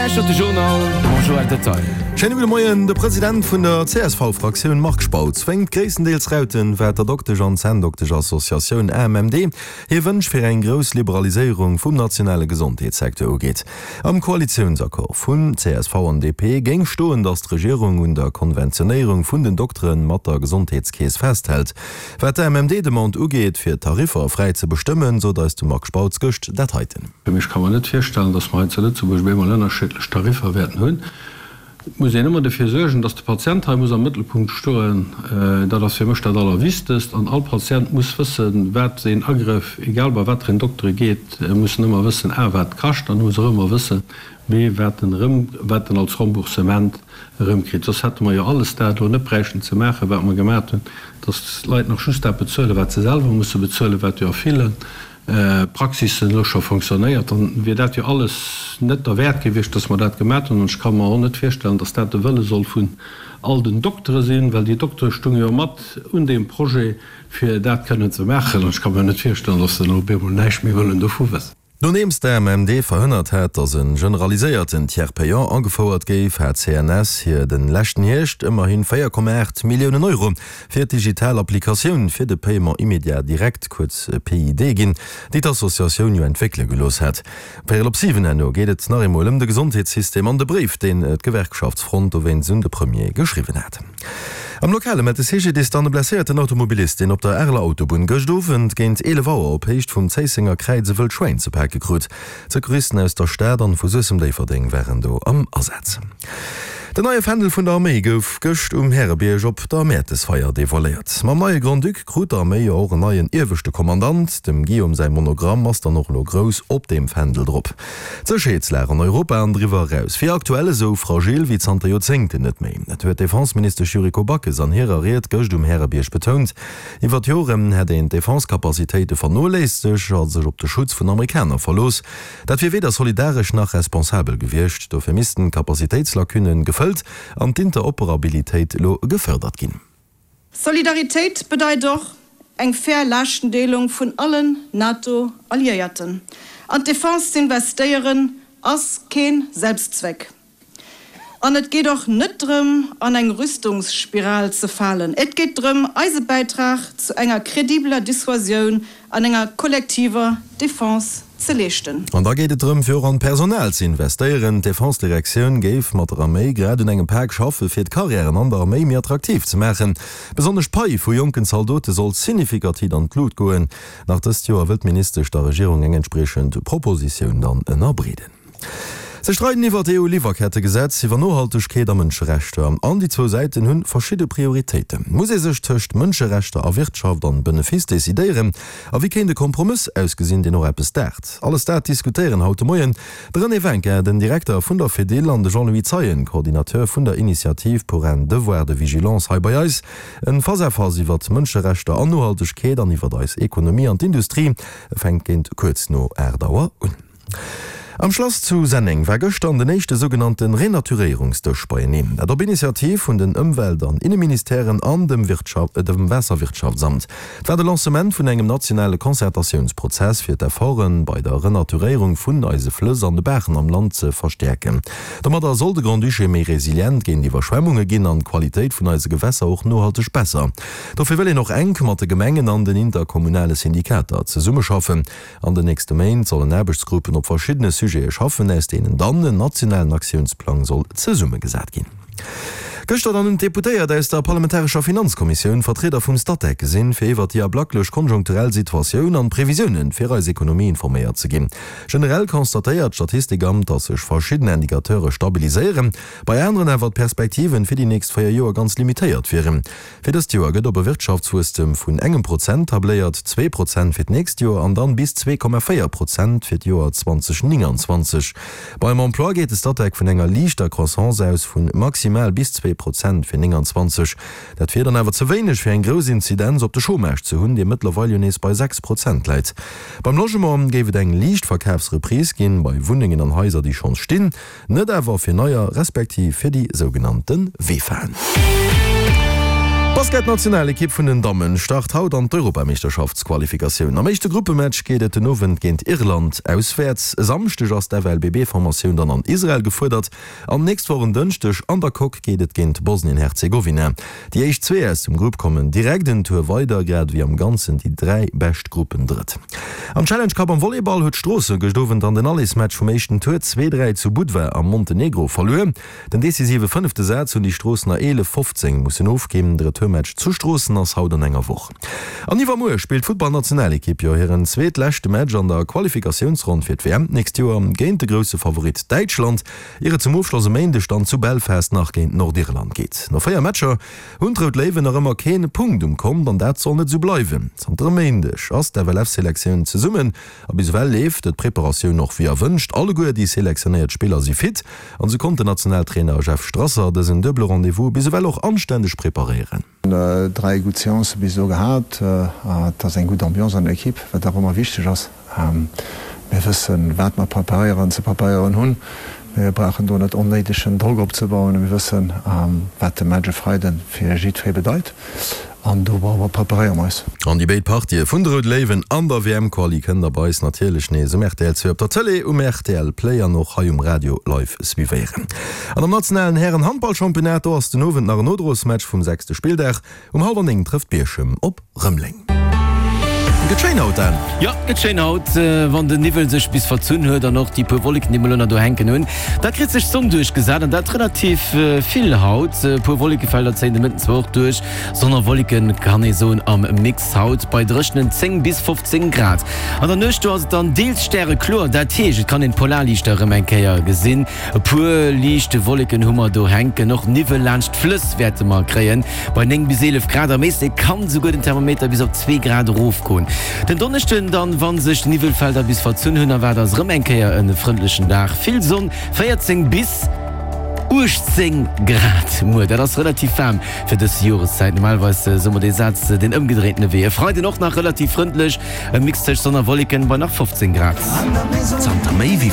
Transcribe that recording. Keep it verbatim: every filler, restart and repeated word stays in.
lauschtert de Journal mam Joël Detaille. Schéine gudde Moien. De President vun der C S V-Fraktioun Marc Spautz wénkt gréisstendeels Rauten, wat der Doktesch an Zänndoktesch-Associatioun A M M D hir Wënsch fir eng grouss Liberaliséierung vum nationale Gesondheetssecteur ugeet. Am Koalitiounsaccord vun C S V an D P géing stoen, datt d'Regierung un der Konventionéierung vun den Doktere mat der Gesondheetskeess festhält. Wat d'A M M D-Demande ugeet, fir d'Tariffer fräi ze bestëmmen, sot eis de Marc Spautz gëscht dat heiten. Ech ka mer net virstellen, datt mer hei zu Lëtzebuerg op eemol ënnerschiddlech Tariffer wäerten hunn. Et muss een ëmmer dofir suergen, datt de Patient hei muss am Mëttelpunkt stoen. Dat ass fir mech dat Allerwichtegst. An all Patient muss wëssen, wat een Agrëff, egal bei wat fir een Dokter e geet, muss en ëmmer wëssen, a wat kascht, an muss och ëmmer wëssen, b wat en erëm, wat en als Remboursement erëmkritt. Soss hätte mer jo alles dat elo net bräichten ze maachen, wat mer gemaat hunn, datt d'Leit nach just dat bezuelen, wat se selwer musse bezuelen, wat jo a ville Praxissen elo scho fonctionnéiert, dann wier dat jo alles net derwäert gewiescht, dass mer dat gemat hunn. An ech ka mer och net virstellen, dass dat de Wëlle soll vun all den Doktere sinn, well déi Doktere stunge jo mat un deem Projet, fir dat kënnen ze maachen. An ech ka mer net virstellen, dass se elo op eemol näischt méi wëllen dovu wëssen. Nodeems d'A M M D verhënnert hat, datt e generaliséierten Tiers payant agefouert géif, hat d'C N S hir de leschten Hierscht ëmmerhi véier Komma aacht Milliounen Euro fir d'digital Applikatioun fir de Paiement immédiat direct, kuerz P I D, ginn, déi d'Associatioun jo entwéckele gelooss hat. Véierel op siwen herno geet et nach eemol ëm de Gesondheetssystem an de Bréif, deen d'Gewerkschaftsfront dowéinst un de Premier geschriwwen hat. Am Lokale mellt de C G D I S dann e blesséierten Automobilist, deen op der Areler Autobunn gëscht Owend géint eelef Auer op Héicht vum Zéissenger Kräiz e wëllt Schwäin ze pake krut. D'Secouristen aus der Stad an vu Suessem-Déifferdeng waren do am Asaz. Den neie Fändel vun der Arméi gouf gëscht um Härebierg op der Mäertesfeier devoiléiert. Mam neie Grand-Duc krut d'Arméi jo och en neien ieweschte Kommandant. Dem Guillaume säi Monogramm ass dann och elo grouss op deem Fändel drop. D'Sécherheetslag an Europa an driwwer eraus wier aktuell esou fragil wéi zanter Joerzéngten net méi. Dat huet d'Defenseministesch Yuriko Backes an hirer Ried gëscht um Härebierg betount. Iwwer d'Joren hätt een d'Defense-Capacitéite vernoléissegt a sech op de Schutz vun Amerikaner verlooss. Dat wier weder solidaresch nach responsabel gewiescht. Dofir missten d'Capacitéitslacunnen gefëllt an d'Interoperabilitéit elo gefërdert ginn. Solidaritéit bedeit och eng fair Laaschtendeelung vun allen NATO-Alliéierten. An d'Defense z'investéieren ass keen Selbstzweck. An et geet och net drëm, an eng Rüstungsspiral ze falen. Et geet drëm, eise Bäitrag zu enger kredibeler Dissuasioun an enger kollektiver Defense ze leeschten. An da geet et drëm, fir och an d'Personal ze investéieren. D'Defense-Direktioun géif mat der Arméi grad un engem Pak schaffe fir d'Karriären an der Arméi méi attraktiv ze maachen. Besonnesch d'Pai vu jonken Zaldote soll signifikativ an d'Lut goen. Nach dëst Joer wëllt d'Ministesch der Regierung eng entspriechend Propositioun dann ënnerbreeden. Se streiden iwwer d'E U-Liwwerkettegesetz, iwwer Nohaltegkeet a Mënscherechter. An déi zwou Säiten hunn verschidde Prioritéiten. Muss ee sech tëscht Mënscherechter a Wirtschaft an Benefice decidéieren? A wéi kéint e Kompromëss ausgesinn, deen och eppes daacht? Alles dat diskutéieren haut de Moien de René Winkin, den Direkter vun der Fedil, an de Jean-Louis Zeien, Coordinateur vun der Initiative pour un devoir de vigilance hei bei eis. En Face-à-face iwwer Mënscherechter an Nohaltegkeet an iwwer eis Ekonomie an d'Industrie fänkt géint kuerz no aacht Auer un. Am Schlass zu Senneng war gëschter den éischte sougenannte Renaturéierungsdësch beieneen. Dat op Initiativ vun den Ëmwelt- an Inneministèren an dem Wirtschaft, äh, dem Waasserwirtschaftsamt. Et war de Lancement vun engem nationale Concertatiounsprozess fir d'Efforte bei der Renaturéierung vun eise Flëss an de Baachen am Land ze verstäerken. Domadder soll de Grand-Duché méi resilient géint Iwwerschwemmunge ginn an d'Qualitéit vun eise Gewässer och nohalteg besser. Dofir wëll een och enk mat de Gemengen an den interkommunale Syndikater zesummeschaffen. An den nächste Méint sollen Aarbechtsgruppen op verschiddene Sujete schaffen, aus deenen dann en nationalen Aktiounsplang soll zesummegesat ginn. Gëschter dann hunn d'Deputéiert aus der parlamentarescher Finanzkommissioun Vertrieder vum Statec gesinn, fir iwwer déi ablacklech konjunkturell Situatioun an d'Previsioune fir eis Ekonomie informéiert ze ginn. Generell constatéiert d'Statistikamt, datt sech verschidden Indicateure stabiliséieren, bei aneren awer d'Perspektiven fir déi nächst véier Joer ganz limitéiert wieren. Fir dëst Joer gëtt op e Wirtschaftswuesstem vun engem Prozent tabléiert, zwee Prozent fir d'nächst Joer an dann bis zwee Komma véier Prozent fir d'Joer zweedausendnénganzwanzeg. Beim Emploi geet de Statec vun enger liichter Croissance aus vu maximal bis zwee Prozent fir nénganzwanzeg. Dat wier dann awer ze wéineg fir eng grouss Inzidenz op de Chômage ze hunn, dee mëttlerweil jo nees bei sechs Prozent läit. Beim Logement géif et eng liicht Verkafsreprise ginn, bei Wunnengen an Haiser, déi schonns stinn, net awer fir neier, respektiv fir déi sougenannte VEFAen. D'Basketnationalekipp vun den Dammen start haut an d'Europameeschterschaftsqualifikatioun. Am éischte Gruppematch geet et den Owend géint Irland auswäerts. E Samschdeg ass d'FLBB-Formatioun dann an Israel gefuerdert an nächst Woch en Dënschdeg an der Coque geet et géint Bosnien-Herzegowina. Déi éischt zwee aus dem Grupp kommen direkt en Tour weider, grad ewéi am Ganzen déi dräi bescht Gruppendrëtt. Am Challenge Cup am Volleyball huet Stroossen gëscht Owend an den Allesmatch vum éischten Tour zwee, dräi zu Budva am Montenegro verluer. Den decisive fënnefte Saz hunn déi Stroossener eelef, fofzéng mussen ofginn. De Retourmatch zu Stroossen ass haut an enger Woch. An iwwermuer spillt d'Futtballnationalekipp jo hiren zweetleschte Match an der Qualifikatiounsronn fir d'WM d'nächst Joer géint de grousse Favorit Däitschland, ier et zum Ofschloss e Méindeg dann zu Belfast nach géint Nordirland geet. No véier Matcher hunn d'Rout Léiwen nach ëmmer kee Punkt um Kont an dat soll net esou bleiwen. Zanter e Méindeg ass d'FLF-Selektioun zesummen a bis ewell leeft d'Preparatioun och wéi erwënscht. Alleguer déi selektionéiert Spiller si fit an esou konnt den Nationaltrainer Jeff Strasser dësen duebele Rendez-vous bis ewell och anstänneg preparéieren. Dräi gutt Seancë bis elo gehat. Et ass eng gutt Ambiance an der Ekipp, wat och ëmmer wichteg ass. Mir wëssen, wat mer preparéieren, ze preparéieren hunn. Mir brauchen do net onnéidegen Drock opzebauen. Mir wëssen, wat de Match e Freide fir jiddweree bedeit an dorobber preparéiere mer eis. An déi béid Partië vun de Roude Léiwen an der WM-Quali kënnt der bei eis natierlech nees um rtl zwee op der Tëlee, um rtl Play an och hei um Radio live suivéieren. An am nationalen Hären-Handballchampionnat, do ass den Owend nach en Nodrosmatch vum sechste Spilldag. Um hallwer néng trëfft Bierchem op Rëmeleng. Gëtt schéin haut, Dan. Jo, gëtt schéin haut, wann den Niwwel sech bis verzunn huet an och déi puer Wolleken, déi mer elo nach do hänken hunn. Da kritt sech d'Sonn duerchgesat an dat relativ vill haut. E puer Wollekefelder zéien de Mëtten zwar och duerch, Sonn a Wolleken kann ee soen am Mix haut bei dréchenen zéng bis fofzéng Grad. An der Nuecht do ass et dann deels stärekloer, dat heescht et kann een d'Polarliichter erëm eng Kéier gesinn. E puer liicht Wolleken hu mer do hänken, och Niwwel laanscht d'Flëss wäerte mer kréien bei néng bis eelef Grad. Am Éislek kann souguer den Thermometer bis op zwee Grad erofgoen. Den Donneschden dann, wann sech d'Niwwelfelder bis verzunn hunn, erwaart eis erëm eng Kéier e frëndlechen Dag, vill Sonn, véierzéng bis uechtzéng Grad muer. Dat ass relativ waarm fir dës Joreszäit. Normalerweis soe mer dee Saz den ëmgedréintene Wee. E Freiden och nach relativ frëndlech, e Mix tëscht Sonn a Wolleken bei nach fofzéng Grad. Zanter méi wéi